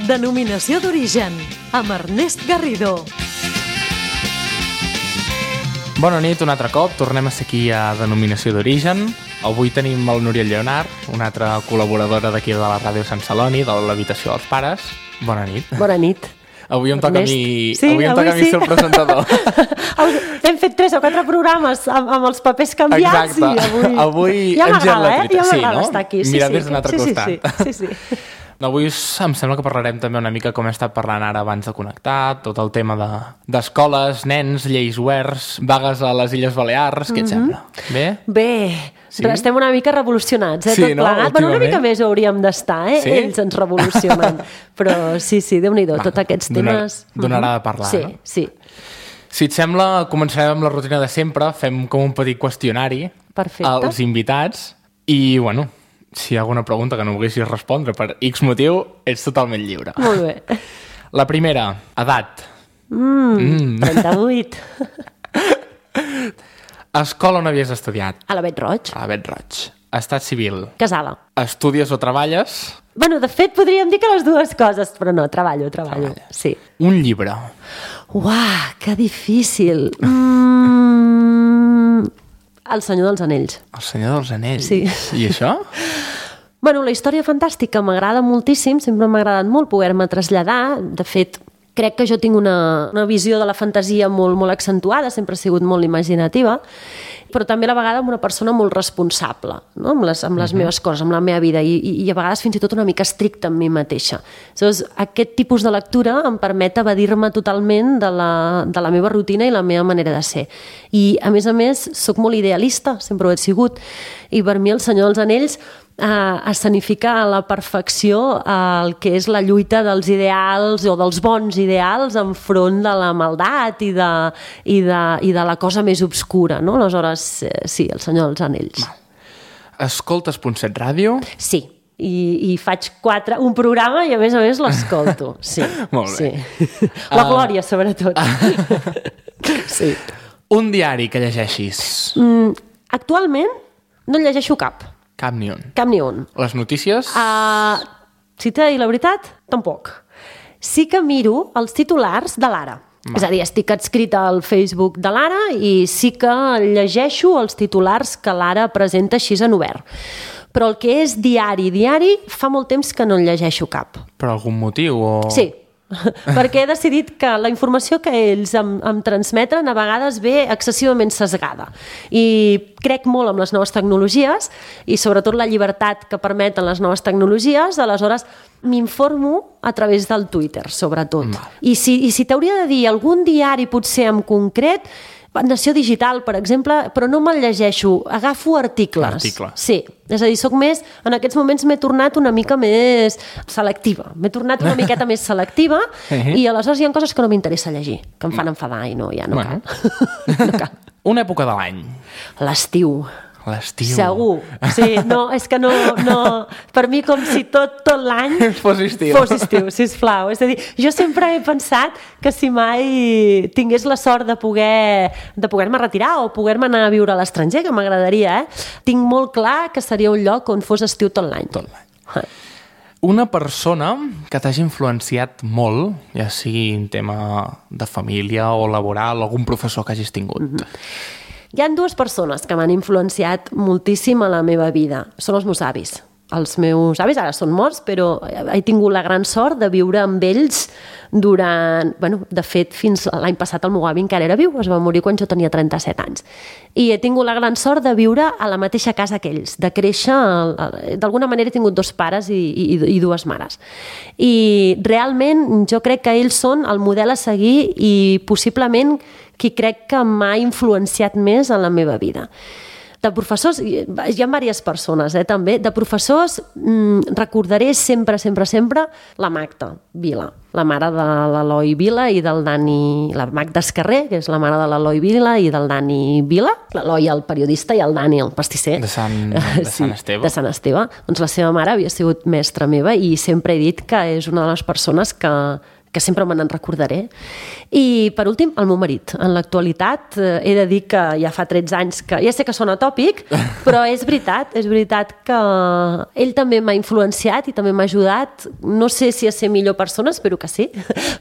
Denominació d'origen, amb Ernest Garrido. Bona nit, un altre cop. Tornem a ser aquí a Denominació d'origen. Avui tenim el Núria Lleonard, una altra col·laboradora d'aquí de la ràdio Sant Celoni, de l'habitació dels pares. Bona nit. Bona nit. Avui em toca a mi, sí, avui em toca a mi ser el presentador. Hem fet 3 o 4 programes amb els papers canviats. Exacte. I avui ja hem girat la m'agrada, truita. Ja m'agrada no? estar aquí. Mirar des d'un altre costat. Sí. Avui em sembla que parlarem també una mica com he estat parlant ara abans de connectar, tot el tema d'escoles, nens, lleis oberts, vagues a les Illes Balears, què et sembla? Bé? Sí? Estem una mica revolucionats, sí, tot plegat. Bueno, una mica més hauríem d'estar, Sí? Ells ens revolucionen. Però sí, Déu-n'hi-do, tots aquests temes... Donarà de parlar, sí, no? Sí. Si et sembla, començarem amb la rutina de sempre, fem com un petit qüestionari als invitats i, bueno, si hi ha alguna pregunta que no volguessis respondre per X motiu, ets totalment lliure. Molt bé. La primera, edat. 38. Escola on havies estudiat? A la Bet Roig. A la Bet Roig. Estat civil. Casada. Estudies o treballes? Bueno, de fet, podríem dir que les dues coses, però no, treballo. Sí. Un llibre. Uah, que difícil. El Senyor dels Anells. El Senyor dels Anells? Sí. I això? Bueno, la història fantàstica m'agrada moltíssim, sempre m'ha agradat molt poder-me traslladar. De fet, crec que jo tinc una visió de la fantasia molt accentuada, sempre he sigut molt imaginativa, però també a la vegada amb una persona molt responsable, no? amb les meves coses, amb la meva vida, i a vegades fins i tot una mica estricta amb mi mateixa. Llavors, aquest tipus de lectura em permet evadir-me totalment de la meva rutina i la meva manera de ser. I, a més, soc molt idealista, sempre ho he sigut, i per mi el Senyor dels Anells escenifica a la perfecció el que és la lluita dels ideals o dels bons ideals enfront de la maldat i de la cosa més obscura, no? Aleshores, sí, el Senyor dels Anells. Escoltes .7 Ràdio? Sí, i faig un programa i a més l'escolto. Sí. Molt bé. Sí. La Glòria, sobretot. Sí. Un diari que llegeixis? Actualment no en llegeixo cap. Cap ni un. Cap ni un. Les notícies? Si t'he de dir la veritat, tampoc. Sí que miro els titulars de l'Ara. És a dir, estic adscrita al Facebook de l'Ara i sí que llegeixo els titulars que l'Ara presenta així en obert. Però el que és diari, fa molt temps que no en llegeixo cap. Per algun motiu? O... Sí, perquè he decidit que la informació que ells em transmeten a vegades ve excessivament sesgada. I crec molt en les noves tecnologies i sobretot la llibertat que permeten les noves tecnologies, aleshores m'informo a través del Twitter, sobretot. I si t'hauria de dir algun diari potser en concret, Nació Digital, per exemple, però no me'l llegeixo, agafo articles. Sí, és a dir, en aquests moments m'he tornat una mica més selectiva, i aleshores hi ha coses que no m'interessa llegir, que em fan enfadar i no cal. No cal. Una època de l'any? L'estiu. L'estiu. Segur. Sí, no, és que no... Per mi com si tot l'any... Fos estiu, sisplau. És a dir, jo sempre he pensat que si mai tingués la sort de poder-me retirar o poder-me anar a viure a l'estranger, que m'agradaria, tinc molt clar que seria un lloc on fos estiu tot l'any. Tot l'any. Una persona que t'hagi influenciat molt, ja sigui en tema de família o laboral, algun professor que hagis tingut. Hi ha 2 persones que m'han influenciat moltíssim a la meva vida. Són els meus avis. Els meus avis ara són morts, però he tingut la gran sort de viure amb ells durant... de fet, fins l'any passat el meu avi encara era viu, es va morir quan jo tenia 37 anys. I he tingut la gran sort de viure a la mateixa casa que ells, de créixer... D'alguna manera he tingut 2 pares i 2 mares. I realment jo crec que ells són el model a seguir i possiblement qui crec que m'ha influenciat més en la meva vida. De professors, hi ha diverses persones, també. De professors recordaré sempre la Magda Vila, la mare de l'Eloi Vila i del Dani... La Magda Escarrer, que és la mare de l'Eloi Vila i del Dani Vila. L'Eloi, el periodista, i el Dani, el pastisser. De Sant Esteve. De Sant Esteve. Doncs la seva mare havia sigut mestra meva i sempre he dit que és una de les persones que que sempre me n'en recordaré. I, per últim, el meu marit. En l'actualitat, he de dir que ja fa 13 anys que... Ja sé que sona tòpic, però és veritat que ell també m'ha influenciat i també m'ha ajudat. No sé si a ser millor persona, espero que sí,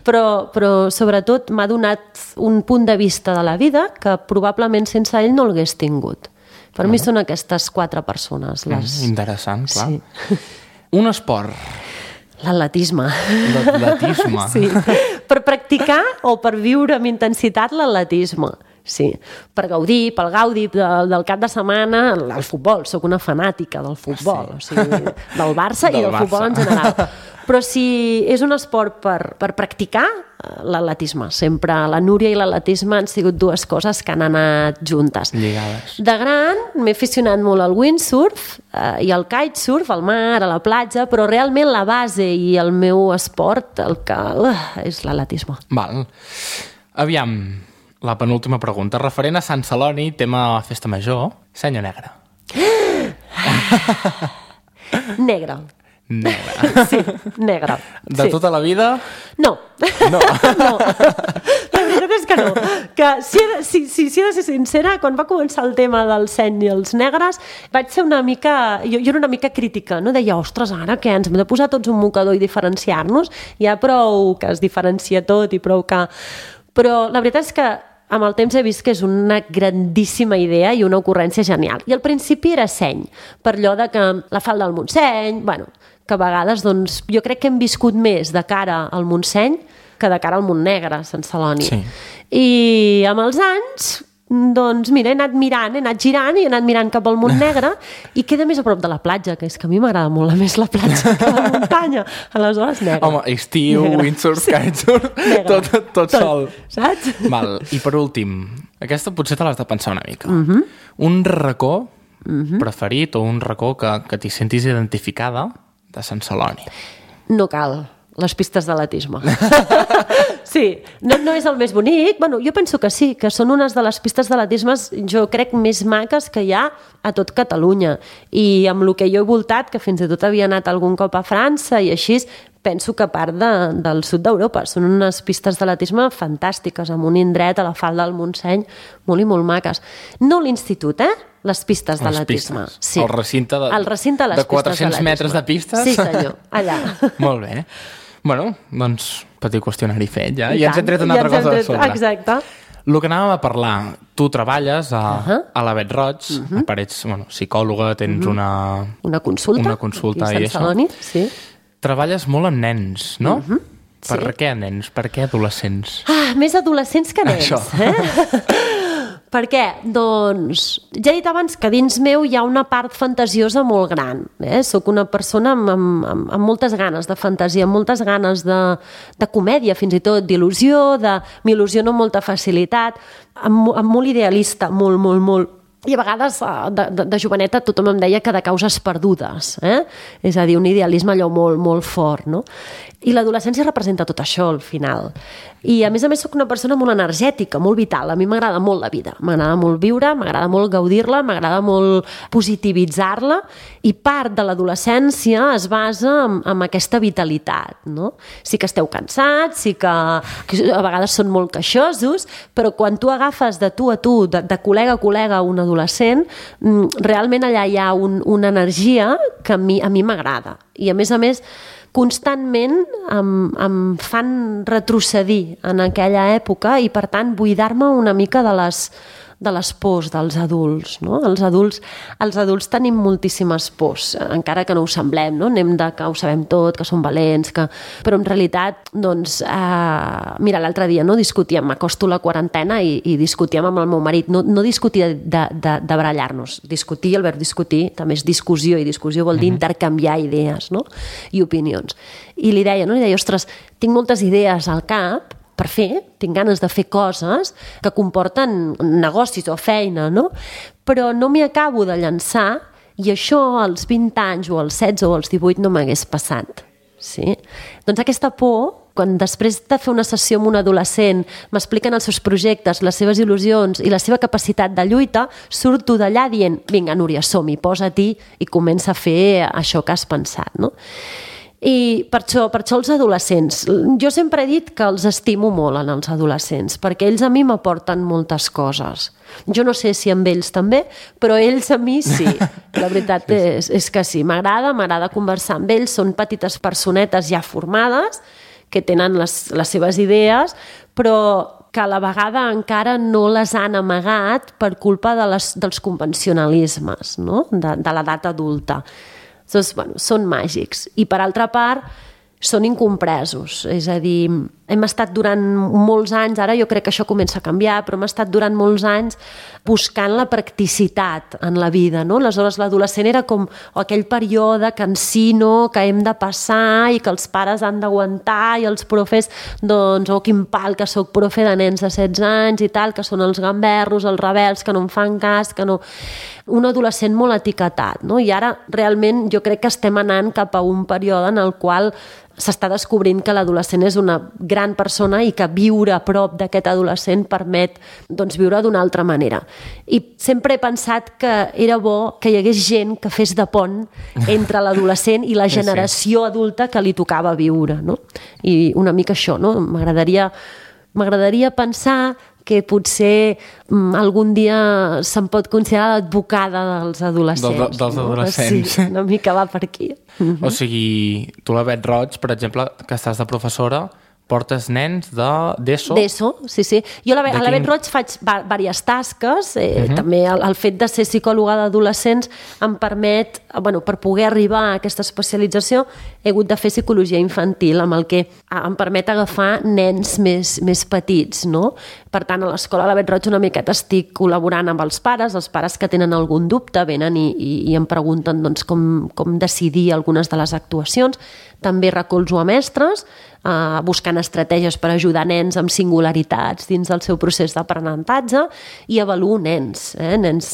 però sobretot m'ha donat un punt de vista de la vida que probablement sense ell no l'hagués tingut. Per mi són aquestes 4 persones. Interessant, clar. Sí. Un esport. L'atletisme. L'atletisme. Sí. Per practicar o per viure amb intensitat l'atletisme. Sí. Per gaudir, pel gaudi del cap de setmana, el futbol. Soc una fanàtica del futbol. Sí. O sigui, del Barça i del futbol en general. Però si és un esport per practicar, l'atletisme. Sempre la Núria i l'atletisme han sigut 2 coses que han anat juntes. Lligades. De gran m'he aficionat molt al windsurf i al kitesurf, al mar, a la platja, però realment la base i el meu esport és l'atletisme. Val. Aviam, la penúltima pregunta. Referent a Sant Celoni, tema festa major, seny o negre? Negre. Negre. Sí, negre. De tota la vida? No. No. La veritat és que no. Que si he de ser sincera, quan va començar el tema del seny i els negres, vaig ser una mica... Jo era una mica crítica, no? Deia, ostres, ara què? Ens hem de posar tots un mocador i diferenciar-nos? Hi ha prou que es diferencia tot i prou que... Però la veritat és que amb el temps he vist que és una grandíssima idea i una ocurrència genial. I al principi era seny, per allò de que la falda del Montseny, bueno, que a vegades doncs, jo crec que hem viscut més de cara al Montseny que de cara al Montnegre, Sant Celoni. Sí. I amb els anys, doncs mira, he anat girant i he anat mirant cap al Montnegre i queda més a prop de la platja, que és que a mi m'agrada molt més la platja que la muntanya. Aleshores, negre. Home, estiu, windsurf, kitesurf, tot sol. Saps? Val. I per últim, aquesta potser te l'has de pensar una mica. Un racó preferit o un racó que t'hi sentis identificada de Sant Celoni? No cal. Les pistes d'atletisme. Sí, no és el més bonic. Bueno, jo penso que sí, que són unes de les pistes d'atletisme, jo crec, més maques que hi ha a tot Catalunya. I amb el que jo he voltat, que fins i tot havia anat algun cop a França i així, penso que a part del sud d'Europa. Són unes pistes d'atletisme fantàstiques, amb un indret a la falda del Montseny, molt i molt maques. No l'institut, les pistes d'atletisme. Sí. El recinte de les de 400 metres de pistes? Sí, senyor, allà. Molt bé. Bueno, doncs, petit qüestionari fet, ja. I ens hem tret una altra cosa de sobre. Exacte. El que anàvem a parlar, tu treballes a la Bet Roig, ets psicòloga, tens una consulta i això. Celoni, sí. Treballes molt amb nens, no? Per què nens? Per què adolescents? Més adolescents que nens. Això. Per què? Doncs, ja he dit abans que dins meu hi ha una part fantasiosa molt gran. Soc una persona amb moltes ganes de fantasia, amb moltes ganes de comèdia, fins i tot, d'il·lusió, m'il·lusiono amb molta facilitat, amb molt idealista, molt. I a vegades, de joveneta, tothom em deia que de causes perdudes. És a dir, un idealisme allò molt fort, no? I l'adolescència representa tot això, al final. I, a més, soc una persona molt energètica, molt vital. A mi m'agrada molt la vida. M'agrada molt viure, m'agrada molt gaudir-la, m'agrada molt positivitzar-la, i part de l'adolescència es basa en aquesta vitalitat, no? Sí que esteu cansats, sí que a vegades són molt queixosos, però quan tu agafes de tu a tu, de col·lega a col·lega, un adolescent, realment allà hi ha una energia que a mi m'agrada. I, a més, constantment em fan retrocedir en aquella època i, per tant, buidar-me una mica de les pors dels adults, no? Els adults tenim moltíssimes pors, encara que no ho semblem, no? Anem de que ho sabem tot, que som valents, però en realitat, doncs, mira, l'altre dia discutíem, m'acosto la quarantena i discutíem amb el meu marit, no discutir de barallar-nos, discutir, el verb discutir també és discussió, i discussió vol dir intercanviar idees, no? I opinions. I li deia, ostres, tinc moltes idees al cap per fer, tinc ganes de fer coses que comporten negocis o feina, no? Però no m'hi acabo de llançar, i això als 20 anys o als 16 o als 18 no m'hagués passat. Sí? Doncs aquesta por, quan després de fer una sessió amb un adolescent m'expliquen els seus projectes, les seves il·lusions i la seva capacitat de lluita, surto d'allà dient, vinga, Núria, som-hi, posa-t'hi i comença a fer això que has pensat, no? I per això els adolescents. Jo sempre he dit que els estimo molt en els adolescents, perquè ells a mi m'aporten moltes coses. Jo no sé si amb ells també, però ells a mi sí. La veritat és que sí. M'agrada conversar amb ells. Són petites personetes ja formades, que tenen les seves idees, però que a la vegada encara no les han amagat per culpa dels convencionalismes, no? de l'edat adulta. Doncs, són màgics. I, per altra part, són incompresos. És a dir, hem estat durant molts anys, ara jo crec que això comença a canviar, però hem estat durant molts anys buscant la practicitat en la vida, no? Aleshores, l'adolescent era com aquell període cansino que hem de passar i que els pares han d'aguantar i els profes, doncs, quin pal que soc profe de nens de 16 anys i tal, que són els gamberros, els rebels, que no em fan cas, que no... Un adolescent molt etiquetat, no? I ara realment jo crec que estem anant cap a un període en el qual s'està descobrint que l'adolescent és una gran persona i que viure a prop d'aquest adolescent permet, doncs, viure d'una altra manera. I sempre he pensat que era bo que hi hagués gent que fes de pont entre l'adolescent i la generació adulta que li tocava viure, no? I una mica això, no? M'agradaria pensar que potser algun dia se'n pot considerar l'advocada dels adolescents. Dels adolescents. Sí, una mica va per aquí. O sigui, tu la Bet Roig, per exemple, que estàs de professora, portes nens d'ESO? D'ESO, sí. Jo a la Bet Roig faig diverses tasques. També el fet de ser psicòloga d'adolescents em permet, per poder arribar a aquesta especialització, he hagut de fer psicologia infantil, amb el que em permet agafar nens més petits, no? Per tant, a l'escola de la Bet Roig una miqueta estic col·laborant amb els pares que tenen algun dubte venen i em pregunten, doncs, com decidir algunes de les actuacions. També recolzo a mestres, buscant estratègies per ajudar nens amb singularitats dins del seu procés d'aprenentatge, i avaluo nens,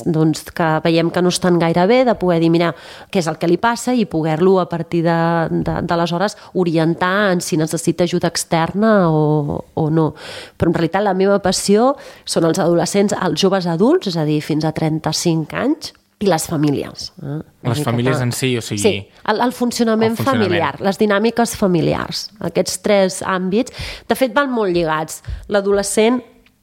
doncs, que veiem que no estan gaire bé, de poder dir, mira, què és el que li passa, i poder-lo a partir d'aleshores orientar en si necessita ajuda externa o no. Però en realitat la meva passió són els adolescents, els joves adults, és a dir, fins a 35 anys, i les famílies. Les famílies en si, o sigui... Sí, el funcionament familiar, les dinàmiques familiars, aquests 3 àmbits. De fet, van molt lligats. L'adolescent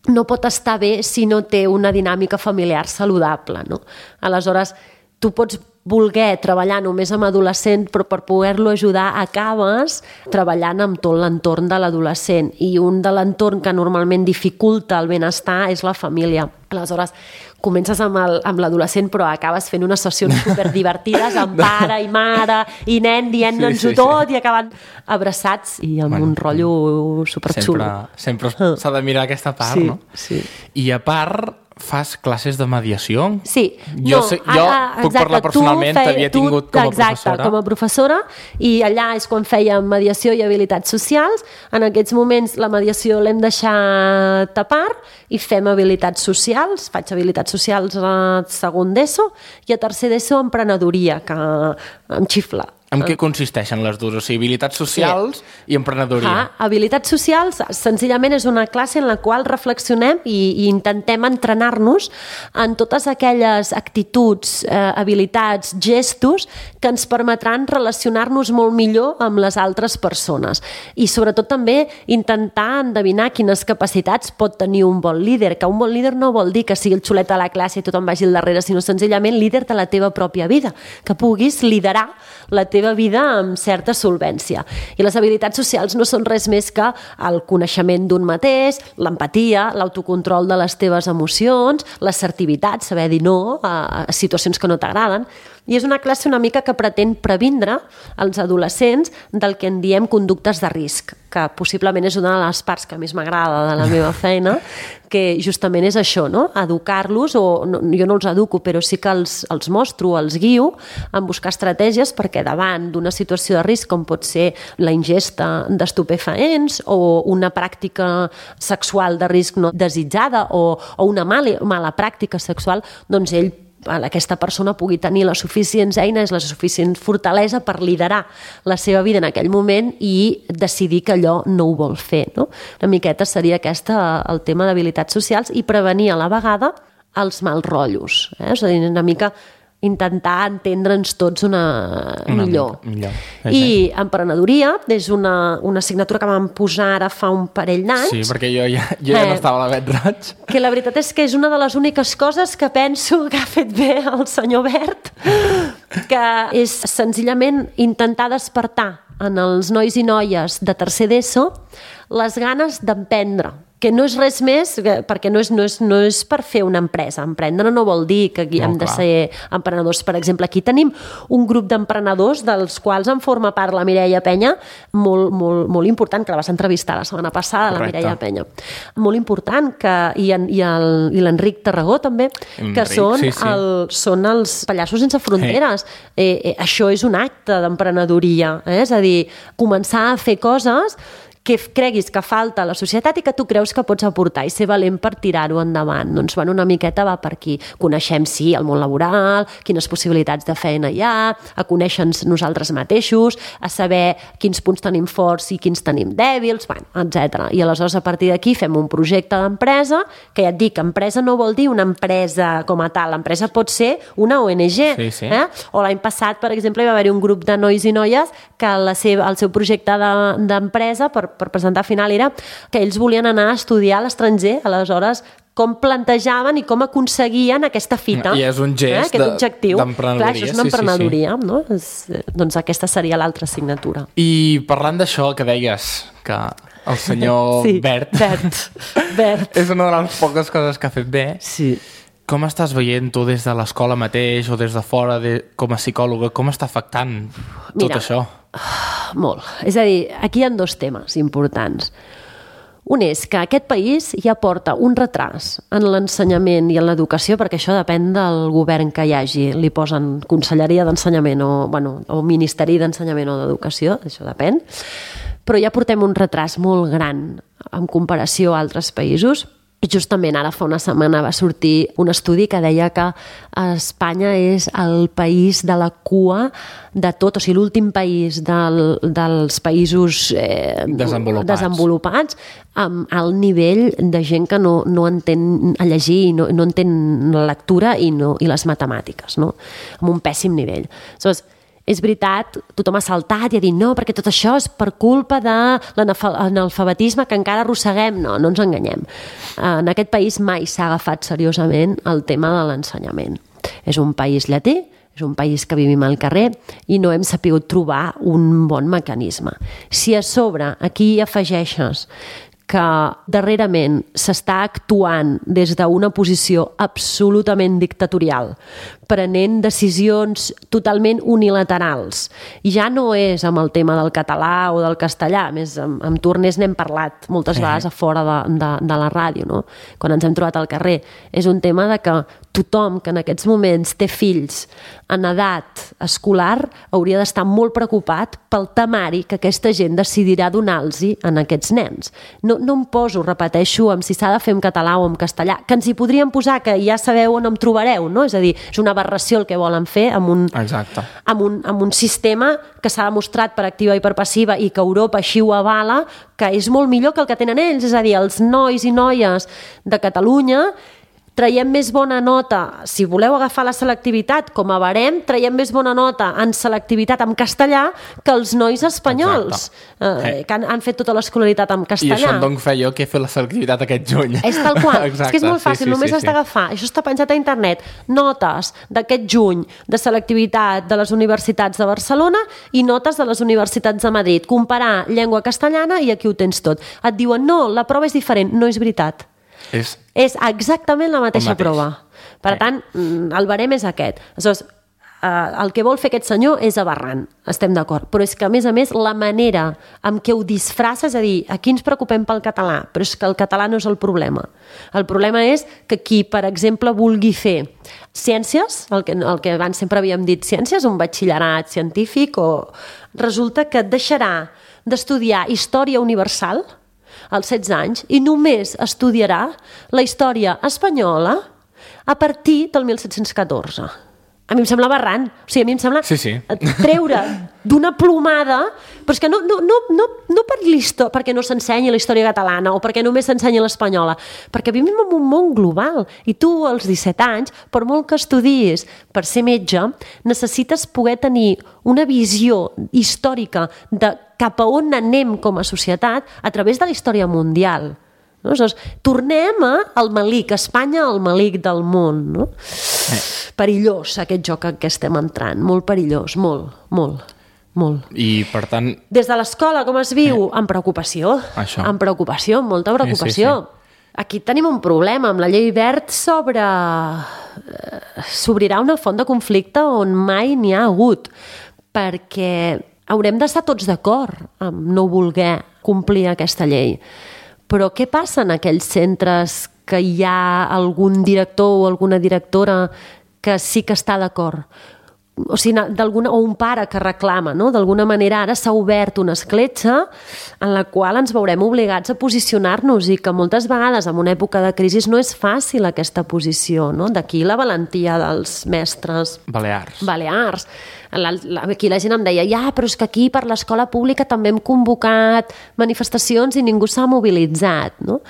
no pot estar bé si no té una dinàmica familiar saludable, no? Aleshores, tu pots voler treballar només amb adolescent, però per poder-lo ajudar acabes treballant amb tot l'entorn de l'adolescent, i un de l'entorn que normalment dificulta el benestar és la família. Aleshores, comences amb l'adolescent, però acabes fent unes sessions superdivertides amb pare i mare i nen dient-nos-ho tot i acaben abraçats i amb un rotllo superxulo. Sempre s'ha de mirar aquesta part, no? Sí. I a part, fas classes de mediació? Sí. Jo puc parlar personalment, t'havia tingut com a professora. Exacte, com a professora, i allà és quan fèiem mediació i habilitats socials. En aquests moments la mediació l'hem deixat a part i fem habilitats socials. Faig habilitats socials a segon d'ESO i a tercer d'ESO emprenedoria, que em xifla. En què consisteixen les dues? O sigui, habilitats socials i emprenedoria. Habilitats socials, senzillament és una classe en la qual reflexionem i intentem entrenar-nos en totes aquelles actituds, habilitats, gestos que ens permetran relacionar-nos molt millor amb les altres persones. I sobretot també intentar endevinar quines capacitats pot tenir un bon líder, que un bon líder no vol dir que sigui el xulet de la classe i tothom vagi al darrere, sinó senzillament líder de la teva pròpia vida, que puguis liderar la teva vida amb certa solvència. I les habilitats socials no són res més que el coneixement d'un mateix, l'empatia, l'autocontrol de les teves emocions, l'assertivitat, saber dir no a situacions que no t'agraden. I és una classe una mica que pretén previndre els adolescents del que en diem conductes de risc, que possiblement és una de les parts que més m'agrada de la meva feina, que justament és això, no? Educar-los, jo no els educo, però sí que els mostro, els guio en buscar estratègies perquè davant d'una situació de risc, com pot ser la ingesta d'estupefaents o una pràctica sexual de risc no desitjada o una mala pràctica sexual, doncs aquesta persona pugui tenir les suficients eines, la suficient fortalesa per liderar la seva vida en aquell moment i decidir que allò no ho vol fer, no? Una miqueta seria el tema d'habilitats socials i prevenir a la vegada els mals rotllos. És a dir, una mica intentar entendre'ns tots millor. I emprenedoria és una assignatura que vam posar ara fa un parell d'anys. Sí, perquè jo ja no estava a la Vet Roig. Que la veritat és que és una de les úniques coses que penso que ha fet bé el senyor Bert, que és senzillament intentar despertar en els nois i noies de tercer d'ESO les ganes d'emprendre, que no és res més, perquè no és per fer una empresa. Emprendre no vol dir que hem de ser emprenedors. Per exemple, aquí tenim un grup d'emprenedors dels quals en forma part la Mireia Penya, molt important, que la vas entrevistar la setmana passada, la Mireia Penya. Molt important, i l'Enric Tarragó també, que són els Pallassos Sense Fronteres. Això és un acte d'emprenedoria, és a dir, començar a fer coses que creguis que falta a la societat i que tu creus que pots aportar i ser valent per tirar-ho endavant. Doncs una miqueta va per aquí. Coneixem, sí, el món laboral, quines possibilitats de feina hi ha, a conèixer-nos nosaltres mateixos, a saber quins punts tenim forts i quins tenim dèbils, etc. I aleshores a partir d'aquí fem un projecte d'empresa, que ja et dic, empresa no vol dir una empresa com a tal, l'empresa pot ser una ONG. Sí. O l'any passat, per exemple, hi va haver un grup de nois i noies que el seu projecte d'empresa per presentar final era que ells volien anar a estudiar a l'estranger, aleshores com plantejaven i com aconseguien aquesta fita. I és un gest d'emprenedoria. Clar, això és una emprenedoria, no? Doncs aquesta seria l'altra assignatura. I parlant d'això que deies, que el senyor Bert és una de les poques coses que ha fet bé. Sí. Com estàs veient tu des de l'escola mateix o des de fora com a psicòloga? Com està afectant tot això? Molt. És a dir, aquí hi ha dos temes importants. Un és que aquest país ja porta un retras en l'ensenyament i en l'educació, perquè això depèn del govern que hi hagi. Li posen Conselleria d'Ensenyament o Ministeri d'Ensenyament o d'Educació, això depèn. Però ja portem un retras molt gran en comparació a altres països. Justament ara fa una setmana va sortir un estudi que deia que Espanya és el país de la cua de tot, o sigui, l'últim país dels països desenvolupats amb el nivell de gent que no entén a llegir i no entén la lectura i les matemàtiques, no? Amb un pèssim nivell. Aleshores, és veritat, tothom ha saltat i ha dit no, perquè tot això és per culpa de l'analfabetisme que encara arrosseguem. No ens enganyem. En aquest país mai s'ha agafat seriosament el tema de l'ensenyament. És un país llatí, és un país que vivim al carrer i no hem sapigut trobar un bon mecanisme. Si a sobre aquí hi afegeixes que darrerament s'està actuant des d'una posició absolutament dictatorial, prenent decisions totalment unilaterals. I ja no és amb el tema del català o del castellà, més amb Tornés n'hem parlat moltes vegades a fora de la ràdio, no? Quan ens hem trobat al carrer. És un tema de que tothom que en aquests moments té fills en edat escolar hauria d'estar molt preocupat pel temari que aquesta gent decidirà donar-los a aquests nens. No em poso, repeteixo, amb si s'ha de fer en català o en castellà, que ens hi podríem posar, que ja sabeu on em trobareu, no? És a dir, és una aberració el que volen fer amb un sistema que s'ha demostrat per activa i per passiva i que Europa així ho avala, que és molt millor que el que tenen ells. És a dir, els nois i noies de Catalunya traiem més bona nota, si voleu agafar la selectivitat com a barem, traiem més bona nota en selectivitat en castellà que els nois espanyols, que han fet tota l'escolaritat en castellà. I això em dono fe jo, que he fet la selectivitat aquest juny. És tal qual. Exacte. És que és molt fàcil, només has d'agafar. Això està penjat a internet. Notes d'aquest juny de selectivitat de les universitats de Barcelona i notes de les universitats de Madrid. Comparar llengua castellana i aquí ho tens tot. Et diuen, no, la prova és diferent. No és veritat. És exactament la mateixa prova. Per tant, el barem és aquest. Aleshores, el que vol fer aquest senyor és aberrant, estem d'acord, però és que a més, la manera amb què ho disfressa, és a dir, aquí ens preocupem pel català, però és que el català no és el problema. El problema és que qui, per exemple, vulgui fer ciències, el que abans sempre havíem dit ciències, un batxillerat científic, o resulta que deixarà d'estudiar història universal als 16 anys i només estudiarà la història espanyola a partir del 1714. a mi em sembla aberrant. O sigui, a mi em sembla treure d'una plomada, però és que no perquè no s'ensenyi la història catalana o perquè només s'ensenyi l'espanyola, perquè vivim en un món global i tu als 17 anys, per molt que estudiïs per ser metge, necessites poder tenir una visió històrica de cap a on anem com a societat a través de la història mundial. No? Tornem al malic, Espanya al malic del món, no? Perillós aquest joc en què estem entrant, molt perillós, molt. I per tant... Des de l'escola com es viu? Amb preocupació, amb molta preocupació. Aquí tenim un problema, amb la llei Wert s'obrirà una font de conflicte on mai n'hi ha hagut, perquè haurem d'estar tots d'acord amb no voler complir aquesta llei. Però què passa en aquells centres que hi ha algun director o alguna directora que sí que està d'acord? O sigui, o un pare que reclama, no? D'alguna manera ara s'ha obert una escletxa en la qual ens veurem obligats a posicionar-nos i que moltes vegades en una època de crisi no és fàcil aquesta posició, no? D'aquí la valentia dels mestres balears. Aquí la gent em deia, però és que aquí per l'escola pública també hem convocat manifestacions i ningú s'ha mobilitzat, no?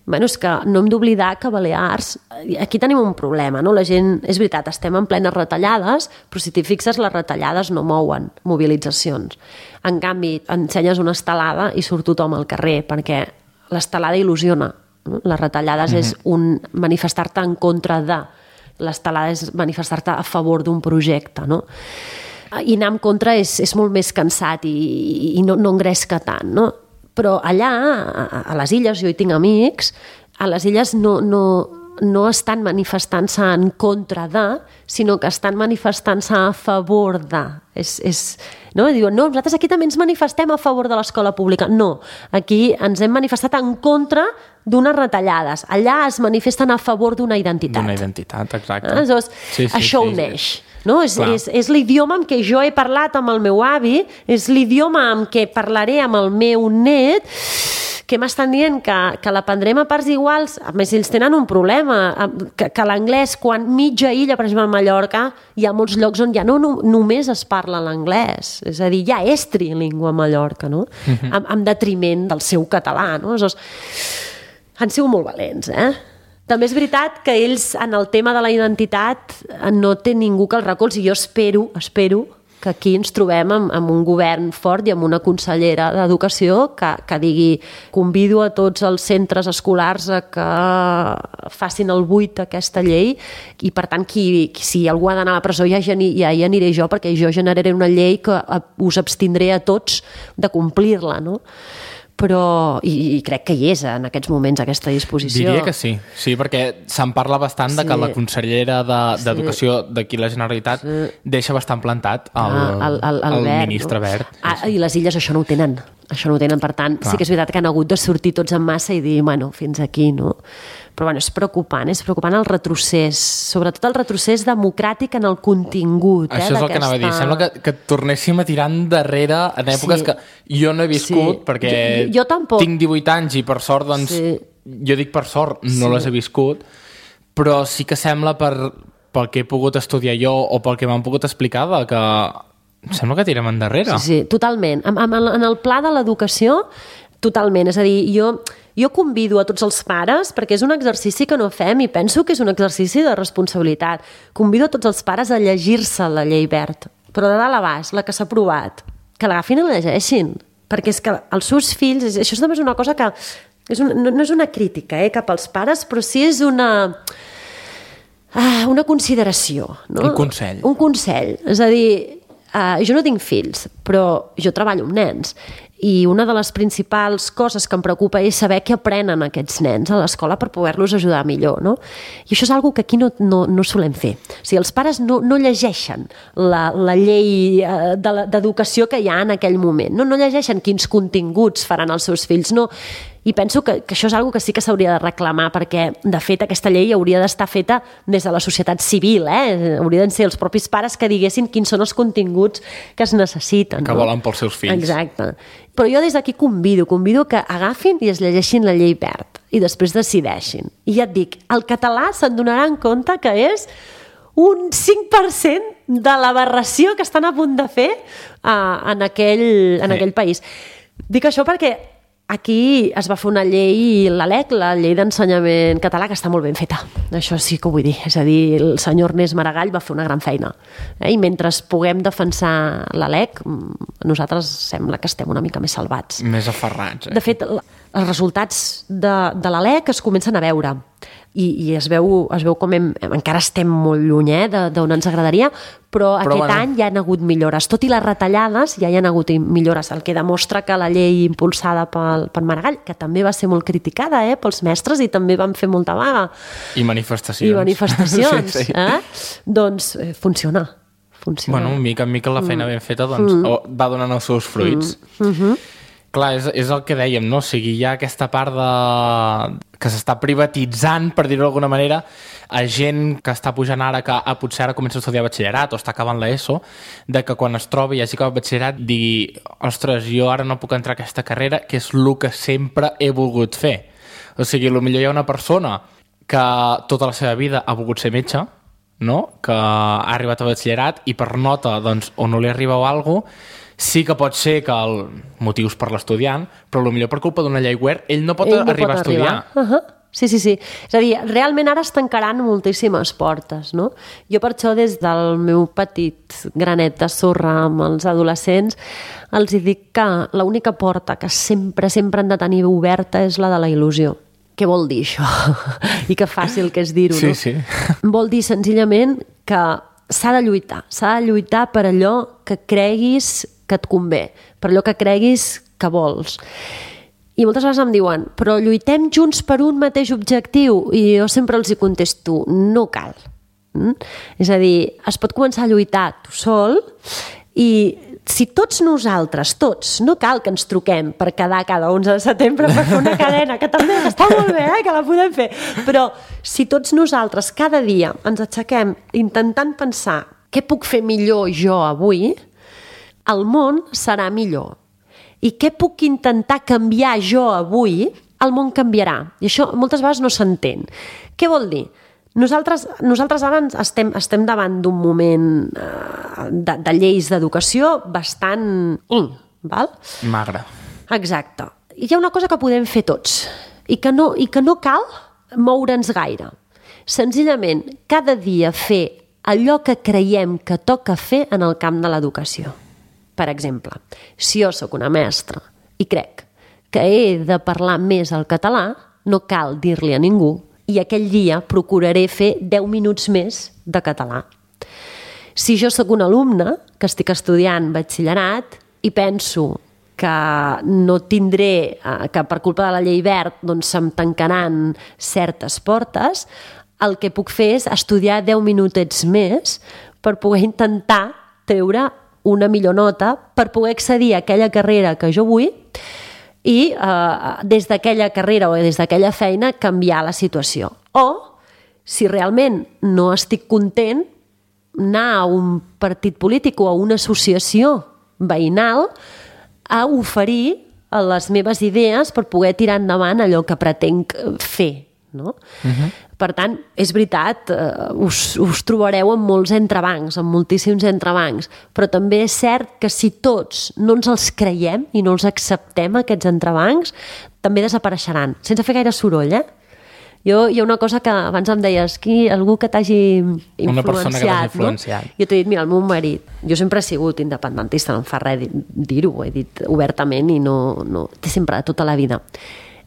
Bueno, és que no hem d'oblidar que a Balears aquí tenim un problema, no? La gent, és veritat, estem en plenes retallades, però si t'hi fixes, les retallades no mouen mobilitzacions. En canvi, ensenyes una estelada i surt tothom al carrer, perquè l'estelada il·lusiona. No? Les retallades és un manifestar-te en contra de. L'estelada és manifestar-te a favor d'un projecte, no? I anar en contra és molt més cansat i no engresca tant, no? Però allà, a les illes, jo hi tinc amics, a les illes no estan manifestant-se en contra de, sinó que estan manifestant-se a favor de. No? Diuen, nosaltres aquí també ens manifestem a favor de l'escola pública. No, aquí ens hem manifestat en contra d'unes retallades. Allà es manifesten a favor d'una identitat. D'una identitat, exacte. Això uneix. No? És l'idioma amb què jo he parlat amb el meu avi, és l'idioma amb què parlaré amb el meu net, que m'estan dient que l'aprendrem a parts iguals. A més, ells tenen un problema, que l'anglès, quan mitja illa, per exemple, a Mallorca, hi ha molts llocs on ja no només es parla l'anglès, és a dir, ja és trilingüe a Mallorca, no? En detriment del seu català, no? Han sigut molt valents, També és veritat que ells, en el tema de la identitat, no té ningú que els recolzi. Jo espero que aquí ens trobem amb un govern fort i amb una consellera d'Educació que digui, convido a tots els centres escolars a que facin el buit aquesta llei i, per tant, si algú ha d'anar a la presó ja hi aniré jo, perquè jo generaré una llei que us abstindré a tots de complir-la, no? Però, i crec que hi és en aquests moments aquesta disposició. Diria que sí, perquè se'n parla bastant de que la consellera d'Educació d'aquí la Generalitat deixa bastant plantat el ministre Wert. I les illes això no ho tenen. Per tant, sí que és veritat que han hagut de sortir tots en massa i dir, fins aquí, no? Però és preocupant el retrocés, sobretot el retrocés democràtic en el contingut. Això és el que anava a dir. Sembla que tornéssim a tirar endarrere en èpoques que jo no he viscut, perquè jo tampoc. Tinc 18 anys i per sort, doncs, jo dic per sort, no les he viscut, però sí que sembla pel que he pogut estudiar jo o pel que m'han pogut explicar que sembla que tirem endarrere. Sí, totalment. En el pla de l'educació, totalment. És a dir, jo convido a tots els pares, perquè és un exercici que no fem i penso que és un exercici de responsabilitat. Convido a tots els pares a llegir-se la llei Wert, però de dalt a baix, la que s'ha aprovat, que l'agafin i la llegeixin. Perquè és que els seus fills, això també és una cosa que no és una crítica cap als pares, però sí és una consideració. No? Un consell. És a dir, jo no tinc fills, però jo treballo amb nens i una de les principals coses que em preocupa és saber què aprenen aquests nens a l'escola per poder-los ajudar millor, no? I això és una cosa que aquí no solem fer. O sigui, els pares no llegeixen la llei d'educació que hi ha en aquell moment, no llegeixen quins continguts faran els seus fills, no. I penso que això és una cosa que sí que s'hauria de reclamar, perquè, de fet, aquesta llei hauria d'estar feta des de la societat civil, haurien de ser els propis pares que diguessin quins són els continguts que es necessiten. Que volen pels seus fills. Exacte. Però jo des d'aquí convido que agafin i es llegeixin la llei Wert i després decideixin. I ja et dic, el català se'n donarà en compte que és un 5% de l'aberració que estan a punt de fer en aquell país. Dic això perquè aquí es va fer una llei, la LEC, la llei d'ensenyament català, que està molt ben feta. Això sí que ho vull dir. És a dir, el senyor Ernest Maragall va fer una gran feina. I mentre puguem defensar la LEC, nosaltres sembla que estem una mica més salvats. Més aferrats. De fet, els resultats de la LEC es comencen a veure. I es veu com encara estem molt lluny d'on ens agradaria, però aquest any ja hi ha hagut millores. Tot i les retallades, ja hi ha hagut millores, el que demostra que la llei impulsada per Maragall, que també va ser molt criticada pels mestres i també van fer molta vaga. I manifestacions. Sí. Doncs funciona. Bueno, mica en mica la feina ben feta va donant els seus fruits. Clar, és el que dèiem, no? O sigui, hi ha aquesta part que s'està privatitzant, per dir-ho d'alguna manera, a gent que està pujant ara, que potser ara comença a estudiar batxillerat o està acabant l'ESO, de que quan es trobi i hagi acabat batxillerat digui, ostres, jo ara no puc entrar a aquesta carrera, que és el que sempre he volgut fer. O sigui, potser hi ha una persona que tota la seva vida ha volgut ser metge, no? Que ha arribat a batxillerat i per nota, doncs, o no li arriba o alguna cosa, sí que pot ser que el motius per l'estudiant, però potser per culpa d'una llei web ell no pot arribar a estudiar. Sí. És a dir, realment ara es tancaran moltíssimes portes, no? Jo per això des del meu petit granet de sorra amb els adolescents els dic que l'única porta que sempre han de tenir oberta és la de la il·lusió. Què vol dir això? I que fàcil que és dir-ho, no? Sí. Vol dir senzillament que s'ha de lluitar per allò que creguis que et convé, per allò que creguis que vols. I moltes vegades em diuen, però lluitem junts per un mateix objectiu, i jo sempre els hi contesto, no cal. És a dir, es pot començar a lluitar tu sol, i si tots nosaltres, no cal que ens truquem per quedar cada 11 de setembre per fer una cadena, que també està molt bé, que la podem fer, però si tots nosaltres cada dia ens aixequem intentant pensar què puc fer millor jo avui, el món serà millor. I què puc intentar canviar jo avui, el món canviarà. I això moltes vegades no s'entén. Què vol dir? Nosaltres ara estem davant d'un moment de lleis d'educació bastant... val? Magre. Exacte. Hi ha una cosa que podem fer tots i que no cal moure'ns gaire. Senzillament, cada dia fer allò que creiem que toca fer en el camp de l'educació. Per exemple, si jo sóc una mestra i crec que he de parlar més el català, no cal dir-li a ningú, i aquell dia procuraré fer 10 minuts més de català. Si jo sóc un alumne que estic estudiant batxillerat i penso que no tindré, que per culpa de la llei verd doncs se'm tancaran certes portes, el que puc fer és estudiar 10 minutets més per poder intentar treure una millor nota, per poder accedir a aquella carrera que jo vull i des d'aquella carrera o des d'aquella feina canviar la situació. O, si realment no estic content, anar a un partit polític o a una associació veïnal a oferir les meves idees per poder tirar endavant allò que pretenc fer. No? Per tant, és veritat, us trobareu amb molts entrebancs, amb moltíssims entrebancs, però també és cert que si tots no ens els creiem i no els acceptem, aquests entrebancs, també desapareixeran, sense fer gaire soroll, Hi ha una cosa que abans em deies, algú que t'hagi influenciat. Una persona que t'hagi influenciat. No? Jo t'he dit, mira, el meu marit, jo sempre he sigut independentista, no em fa res dir-ho, ho he dit obertament i no té sempre tota la vida.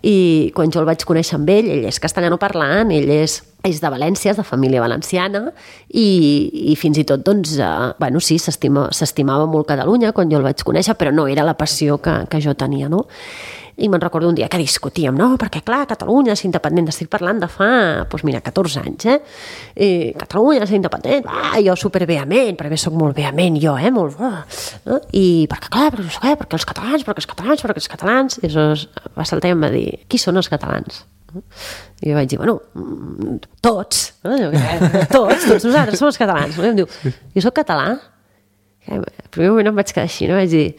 I quan jo el vaig conèixer amb ell és castellanoparlant, ell és de València, és de família valenciana i fins i tot, doncs, bueno, sí, s'estimava molt Catalunya quan jo el vaig conèixer, però no era la passió que jo tenia, no? I me'n recordo un dia que discutíem, no? Perquè, clar, Catalunya és independent, estic parlant de fa, doncs mira, 14 anys, I Catalunya és independent, jo supervehement, perquè soc molt vehement, jo, molt... I perquè, clar, perquè els catalans... I aleshores va saltar i em va dir, qui són els catalans? I jo vaig dir, bueno, tots, tots nosaltres som els catalans. I em diu, jo soc català? Al primer moment em vaig quedar així, no? Vaig dir,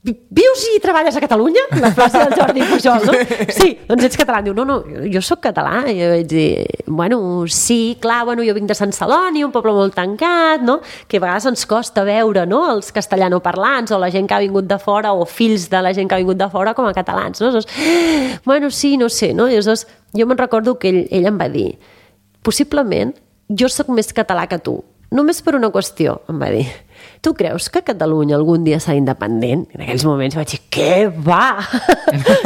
vius i treballes a Catalunya? La plaça del Jordi Pujol, no? Sí, doncs ets català. Diu, no, jo sóc català. I jo vaig dir, bueno, sí, clar, bueno, jo vinc de Sant Celoni, un poble molt tancat, no? Que a vegades ens costa veure, no?, els castellanoparlants o la gent que ha vingut de fora o fills de la gent que ha vingut de fora com a catalans, no? Llavors, bueno, sí, no sé, no? I llavors, jo me'n recordo que ell em va dir, possiblement jo sóc més català que tu, només per una qüestió, em va dir. Tu creus que Catalunya algun dia serà independent? En aquells moments vaig dir, què va?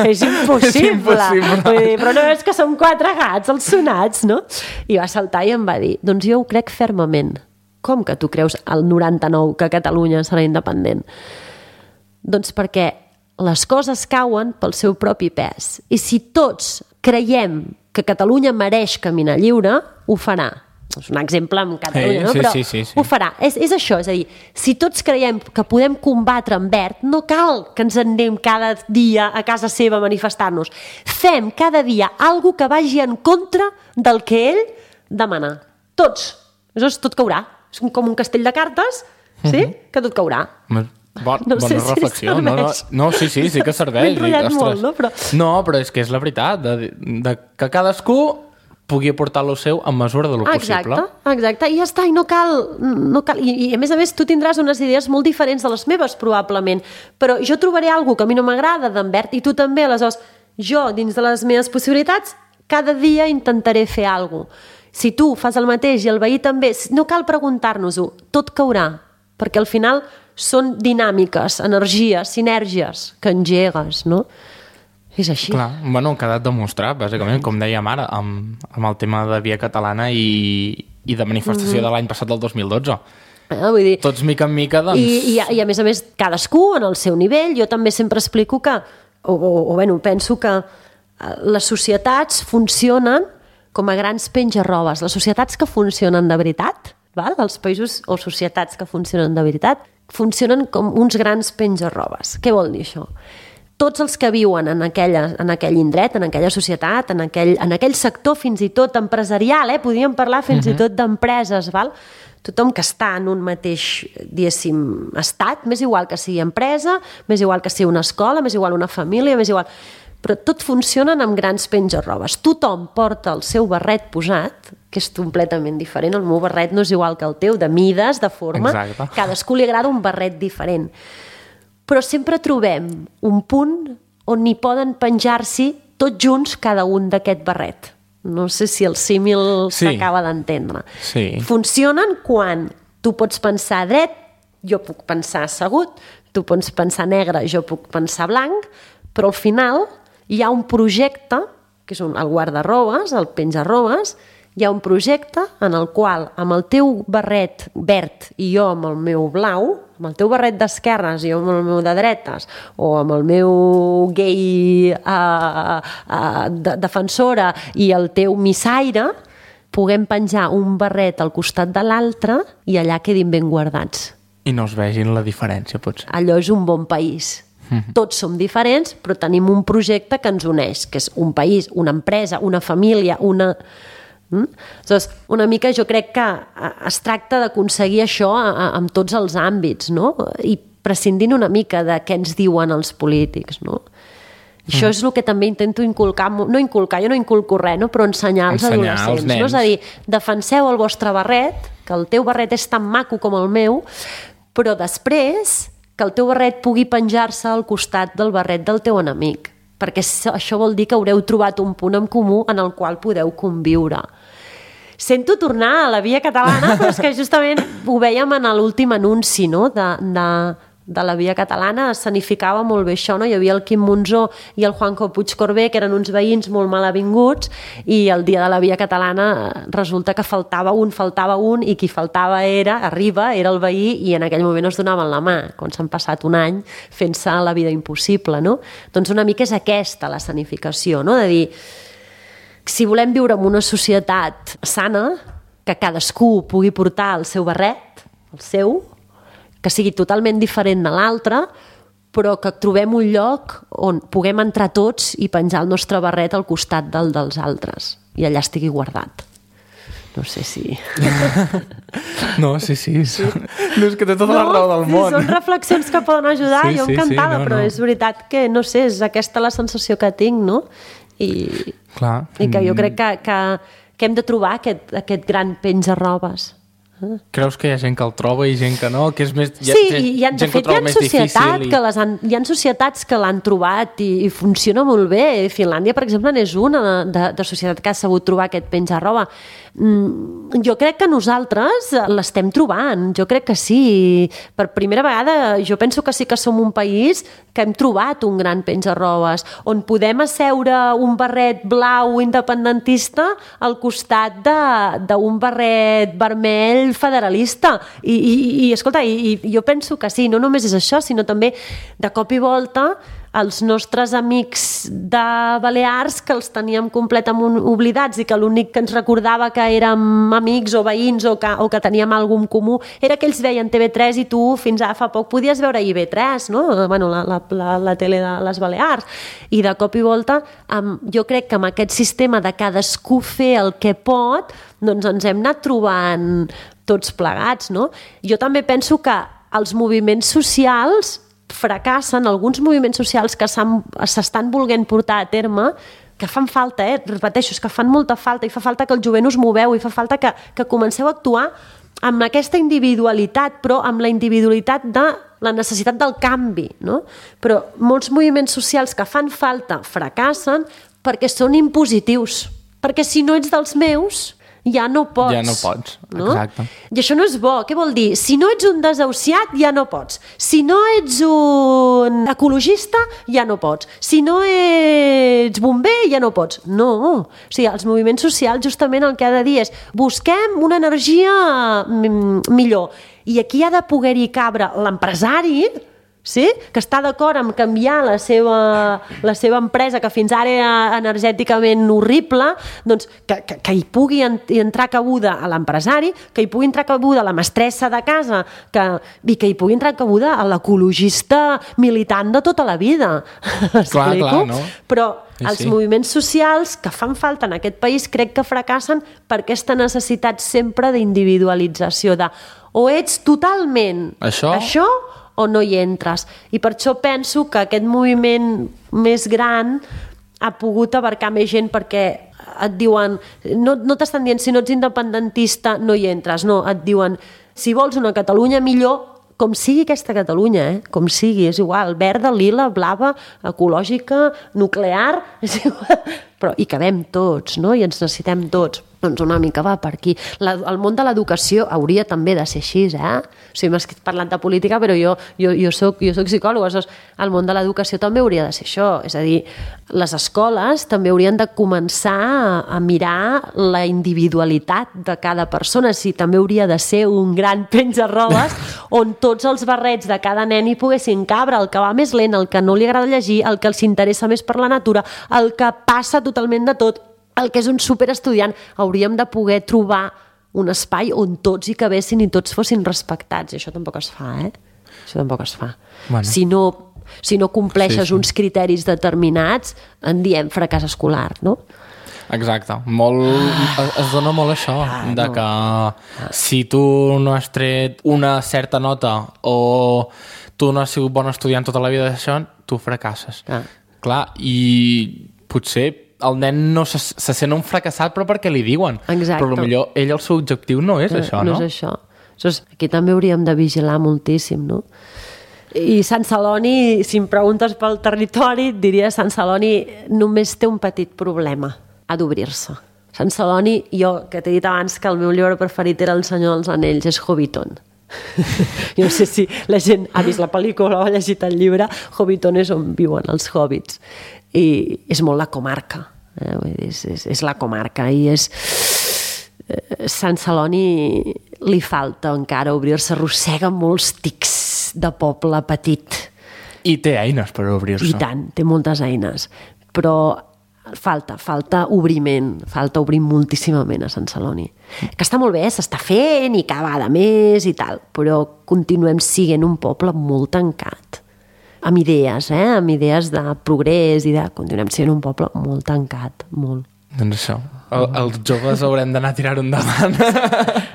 És impossible. Vull dir, però no veus que som 4 gats els sonats, no? I va saltar i em va dir, doncs jo ho crec fermament. Com que tu creus al 99 que Catalunya serà independent? Doncs perquè les coses cauen pel seu propi pes. I si tots creiem que Catalunya mereix caminar lliure, ho farà. És un exemple amb Catalunya, no? Però sí. ho farà. És això, és a dir, si tots creiem que podem combatre en verd, no cal que ens anem cada dia a casa seva a manifestar-nos. Fem cada dia alguna que vagi en contra del que ell demana. Tots. Aleshores tot caurà. És com un castell de cartes, sí? Que tot caurà. Bona reflexió. No, sí que serveix. M'he enrotllat molt, no? No, però és que és la veritat, de que cadascú pugui aportar lo seu en mesura de lo possible. Exacte, i ja està, i no cal. I a més, tu tindràs unes idees molt diferents de les meves, probablement, però jo trobaré alguna que a mi no m'agrada d'en Bert, i tu també, aleshores, jo, dins de les meves possibilitats, cada dia intentaré fer alguna cosa. Si tu fas el mateix i el veí també, no cal preguntar-nos-ho, tot caurà, perquè al final són dinàmiques, energies, sinergies que engegues, no? És així. Clar, bueno, ha quedat demostrat, bàsicament, com dèiem ara, amb el tema de Via Catalana i de manifestació de l'any passat del 2012. Vull dir, tots mica en mica, doncs... I a més, cadascú en el seu nivell. Jo també sempre explico que, penso que les societats funcionen com a grans penja-robes. Les societats que funcionen de veritat, els països o societats que funcionen de veritat, funcionen com uns grans penja-robes. Què vol dir això? Tots els que viuen en aquell indret, en aquella societat, en aquell sector fins i tot empresarial, podríem parlar fins i tot d'empreses, tothom que està en un mateix, diguéssim, estat, més igual que sigui empresa, més igual que sigui una escola, més igual una família, més igual... Però tot funcionen amb grans penja-robes. Tothom porta el seu barret posat, que és completament diferent. El meu barret no és igual que el teu, de mides, de forma. Exacte. Cadascú li agrada un barret diferent. Però sempre trobem un punt on hi poden penjar-s'hi tots junts cada un d'aquest barret. No sé si el símil s'acaba d'entendre. Sí. Funcionen quan tu pots pensar dret, jo puc pensar assegut, tu pots pensar negre, jo puc pensar blanc, però al final hi ha un projecte, que és el guardarrobes, el penjarrobes, hi ha un projecte en el qual amb el teu barret verd i jo amb el meu blau, amb el teu barret d'esquerres i jo amb el meu de dretes, o amb el meu gay defensora i el teu missaire, puguem penjar un barret al costat de l'altre i allà quedin ben guardats. I no es vegin la diferència, potser. Allò és un bon país. Tots som diferents, però tenim un projecte que ens uneix, que és un país, una empresa, una família, Aleshores, una mica jo crec que es tracta d'aconseguir això en tots els àmbits, no? I prescindint una mica de què ens diuen els polítics, no? Això és el que també intento inculcar, jo no inculco res, no? Però ensenyar als adolescents, no? És a dir, defenseu el vostre barret, que el teu barret és tan maco com el meu, però després que el teu barret pugui penjar-se al costat del barret del teu enemic, perquè això vol dir que haureu trobat un punt en comú en el qual podeu conviure. Sento tornar a la Via Catalana, però és que justament ho vèiem en l'últim anunci, no?, de la Via Catalana, escenificava molt bé això, no? Hi havia el Quim Monzó i el Juanjo Puigcorbé, que eren uns veïns molt malavinguts, i el dia de la Via Catalana resulta que faltava un, i qui faltava era el veí, i en aquell moment es donaven la mà, quan s'han passat un any fent-se la vida impossible, no? Doncs una mica és aquesta l'escenificació, no? De dir, si volem viure en una societat sana, que cadascú pugui portar el seu barret, el seu, que sigui totalment diferent de l'altre, però que trobem un lloc on puguem entrar tots i penjar el nostre barret al costat dels altres, i allà estigui guardat. No sé si... No, sí. No, és que té tota la raó del món. Són reflexions que poden ajudar, jo encantada, però és veritat que, no sé, és aquesta la sensació que tinc, no? I que jo crec que hem de trobar aquest gran penja-robes. Creus que hi ha gent que el troba i gent que no? Que és més, de fet, hi ha societats que l'han trobat i funciona molt bé. Finlàndia, per exemple, n'és una de societat que ha sabut trobar aquest penja-roba. Jo crec que nosaltres l'estem trobant, jo crec que sí. Per primera vegada jo penso que sí que som un país que hem trobat un gran penja-robes, on podem asseure un barret blau independentista al costat d'un barret vermell federalista. I escolta, jo penso que sí, no només és això, sinó també de cop i volta els nostres amics de Balears, que els teníem completament oblidats i que l'únic que ens recordava que érem amics o veïns o que teníem alguna cosa comú era que ells veien TV3 i tu fins a fa poc podies veure IB3, no? Bueno, la tele de les Balears. I de cop i volta, jo crec que amb aquest sistema de cadascú fer el que pot, doncs ens hem anat trobant tots plegats, no? Jo també penso que els moviments socials fracassen, alguns moviments socials que s'estan volent portar a terme, que fan falta, repeteixo, és que fan molta falta, i fa falta que el jovent us moveu, i fa falta que comenceu a actuar amb aquesta individualitat, però amb la individualitat de la necessitat del canvi, no? Però molts moviments socials que fan falta fracassen perquè són impositius, perquè si no ets dels meus ja no pots. Ja no pots, exacte. I això no és bo. Què vol dir? Si no ets un desahuciat, ja no pots. Si no ets un ecologista, ja no pots. Si no ets bomber, ja no pots. No. O sigui, els moviments socials justament el que ha de dir és busquem una energia millor. I aquí ha de poder-hi cabre l'empresari, sí? Que està d'acord amb canviar la seva empresa, que fins ara era energèticament horrible, doncs que hi pugui entrar cabuda a l'empresari, que hi pugui entrar cabuda a la mestressa de casa, i que hi pugui entrar cabuda a l'ecologista militant de tota la vida. Clar, no? Però els moviments socials que fan falta en aquest país crec que fracassen per aquesta necessitat sempre d'individualització, o ets totalment això o no hi entres. I per això penso que aquest moviment més gran ha pogut abarcar més gent, perquè et diuen, no t'estan dient si no ets independentista no hi entres, no, et diuen si vols una Catalunya millor, com sigui aquesta Catalunya, com sigui, és igual, verda, lila, blava, ecològica, nuclear, és igual, però hi cabem tots, no? I ens necessitem tots. Doncs una mica va per aquí. El món de l'educació hauria també de ser així, O sigui, m'has parlat de política, però jo soc psicòloga, el món de l'educació també hauria de ser això, és a dir, les escoles també haurien de començar a mirar la individualitat de cada persona, si també hauria de ser un gran penja-robes on tots els barrets de cada nen hi poguessin cabre, el que va més lent, el que no li agrada llegir, el que els interessa més per la natura, el que passa totalment de tot, el que és un superestudiant. Hauríem de poder trobar un espai on tots hi cabessin i tots fossin respectats, i això tampoc es fa, Això tampoc es fa. Bueno. Si no compleixes uns criteris determinats, en diem fracàs escolar, no? Exacte. Es dona molt això, que si tu no has tret una certa nota o tu no has sigut bon estudiant tota la vida d'això, tu fracasses. Clar, i potser el nen no se sent un fracassat, però perquè li diuen. Exacte. Però potser ell el seu objectiu no és això, no? No és això. Aquí també hauríem de vigilar moltíssim, no? I Sant Celoni, si em preguntes pel territori, et diria Sant Celoni només té un petit problema, ha d'obrir-se. Sant Celoni, jo, que t'he dit abans que el meu llibre preferit era El Senyor dels Anells, és Hobbiton. Jo no sé si la gent ha vist la pel·lícula o ha llegit el llibre. Hobbiton és on viuen els hobbits i és molt la comarca, és la comarca, i és Sant Celoni li falta encara obrir-se, arrossega molts tics de poble petit i té eines per obrir-se, i tant, té moltes eines, però falta obriment, falta obrir moltíssimament a Sant Celoni, que està molt bé, s'està fent i cada vegada més i tal, però continuem sent un poble molt tancat amb idees de progrés i continuem sent un poble molt tancat, molt. Doncs això, els joves haurem d'anar a tirar-ho endavant.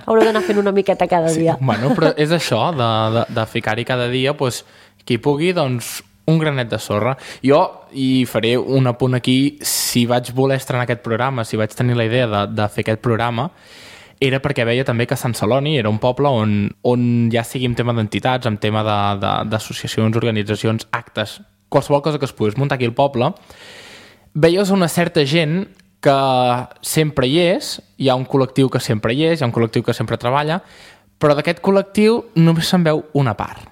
Haureu d'anar fent una miqueta cada dia. Bueno, però és això, de ficar-hi cada dia, doncs, qui pugui, doncs, un granet de sorra. Jo, i faré un apunt aquí, si vaig voler estrenar aquest programa, si vaig tenir la idea de fer aquest programa, era perquè veia també que Sant Celoni era un poble on ja sigui en tema d'entitats, en tema d'associacions, organitzacions, actes, qualsevol cosa que es pogués muntar aquí al poble, veies una certa gent que sempre hi és, hi ha un col·lectiu que sempre hi és, hi ha un col·lectiu que sempre treballa, però d'aquest col·lectiu només se'n veu una part.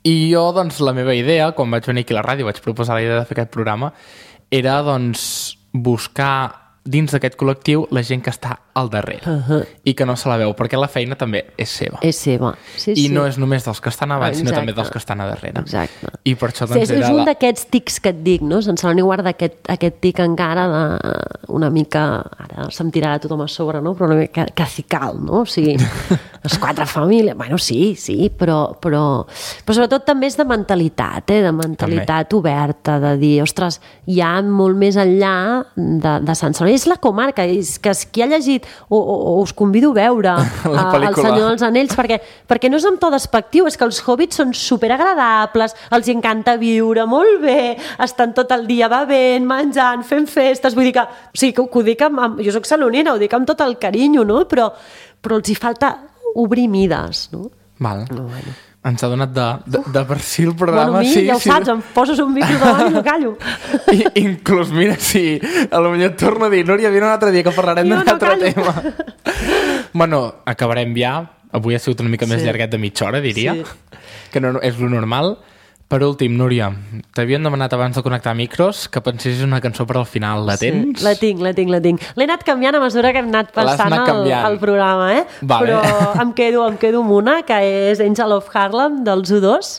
I jo, doncs, la meva idea, quan vaig venir aquí a la ràdio, vaig proposar la idea de fer aquest programa, era, doncs, buscar dins d'aquest col·lectiu la gent que està al darrere i que no se la veu, perquè la feina també és seva. És seva, sí. I no és només dels que estan avall, sinó també dels que estan a darrere. Exacte. I per això, doncs, és un d'aquests tics que et dic, no? Sant Celoni guarda aquest tic encara una mica, ara se'm tirarà tothom a sobre, no? Però una mica cacical, no? O sigui, les 4 famílies, bueno, sí, però sobretot també és de mentalitat, de mentalitat oberta, de dir, ostres, hi ha molt més enllà de Sant Celoni. És la comarca, és que qui ha llegit o us convido a veure El Senyor dels Anells, perquè no és amb to despectiu, és que els hobbits són superagradables, els encanta viure molt bé, estan tot el dia bevent, menjant, fent festes, vull dir que, o sigui, que ho dic jo soc salonina, ho dic amb tot el carinyo, no? Però els hi falta obrir mides, no? Val. Bueno. Ens ha donat de per si el programa... Bueno, ja ho saps, em poses un micro davant i no callo. Inclús, mira, si a lo millor et torno a dir, Núria, vine un altre dia que parlarem d'un altre tema. Bueno, acabarem ja. Avui ha sigut una mica més llarguet de mitja hora, diria. Que no és lo normal. Per últim, Núria, t'havien demanat abans de connectar micros que pensessis una cançó per al final. La tens? La tinc. L'he anat canviant a mesura que hem anat passant el programa, Vale. Però em quedo amb una, que és Angel of Harlem, dels U2.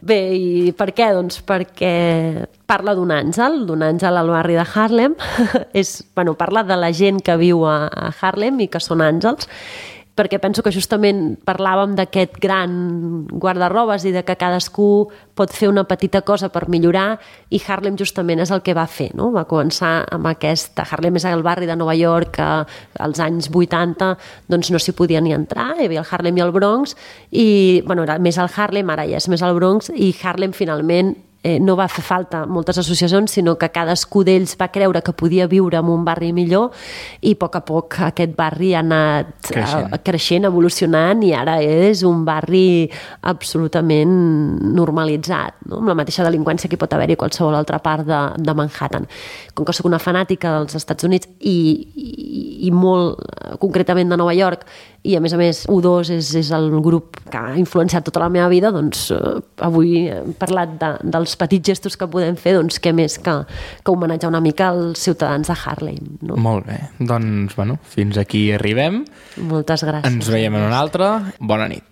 Bé, i per què? Doncs perquè parla d'un àngel al barri de Harlem. Parla de la gent que viu a Harlem i que són àngels, perquè penso que justament parlàvem d'aquest gran guardarrobes i de que cadascú pot fer una petita cosa per millorar, i Harlem justament és el que va fer, no? Va començar amb aquesta... Harlem és el barri de Nova York que als anys 80 doncs no s'hi podia ni entrar, hi havia el Harlem i el Bronx, i era més el Harlem, ara ja és més el Bronx, i Harlem finalment no va fer falta moltes associacions, sinó que cadascú d'ells va creure que podia viure en un barri millor, i a poc aquest barri ha anat creixent, evolucionant, i ara és un barri absolutament normalitzat, no? Amb la mateixa delinqüència que pot haver-hi a qualsevol altra part de Manhattan. Com que soc una fanàtica dels Estats Units i molt concretament de Nova York, i a més U2 és el grup que ha influenciat tota la meva vida, doncs avui hem parlat dels petits gestos que podem fer, doncs què més que homenatjar una mica als ciutadans de Harlem, no? Molt bé, doncs, fins aquí arribem. Moltes gràcies. Ens veiem en una altra. Bona nit.